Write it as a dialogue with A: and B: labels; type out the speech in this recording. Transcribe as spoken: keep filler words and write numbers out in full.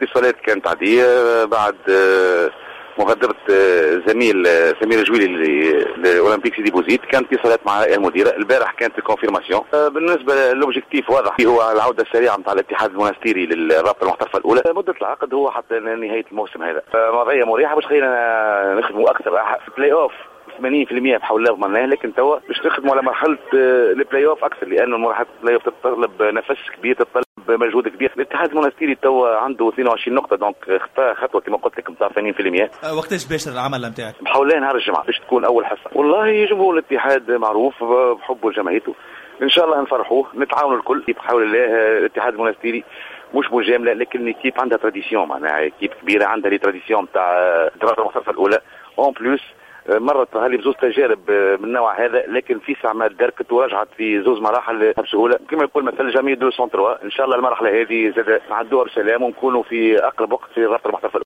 A: اتصالات كانت عادية بعد مغادرة زميل سمير جويلي لاولمبيك سيدي بوزيد، كانت اتصالات مع المديرة. البارح كانت ال confirmation. بالنسبة l'objectif واضح، هو العودة السريعة نتاع الاتحاد المونستيري للرابطة المحترفه الاولى. مده العقد هو حتى نهاية الموسم هذا. وضعية مريحه باش خلينا نخدموا اكثر. بلاي اوف ثمانين في المية بحول الله ضمناه، لكن توا باش نخدموا على مرحلة البلاي اوف اكثر، لانه مرحلة البلاي اوف تتطلب نفس كبير، تتطلب مجهود كبير. الاتحاد المونستيري توا عنده اثنين وعشرين نقطه، donc خطا خطوة كما قلت لك نتاع ثمانين في المية.
B: أه، وقتاش باشر العمل نتاعك؟
A: بحول الله نهار الجمعة باش تكون اول حصه. والله جمهور الاتحاد معروف بحبه لجمعيته، ان شاء الله نفرحوه، نتعاونوا الكل بحول الله. الاتحاد المونستيري مش مجامله، لكن équipe عندها tradition، معناها équipe كبيرة عندها les traditions نتاع الدرجة المحترفه الاولى. en plus مرت هذه بزوز تجارب من النوع هذا، لكن في ساعة ما دركت ورجعت في زوز مراحل بسهوله. كما يقول مثل jamais deux sans trois. ان شاء الله المرحلة هذه زاد نعدوها بسلام ونكونوا في اقرب وقت في الرابطة المحترفه.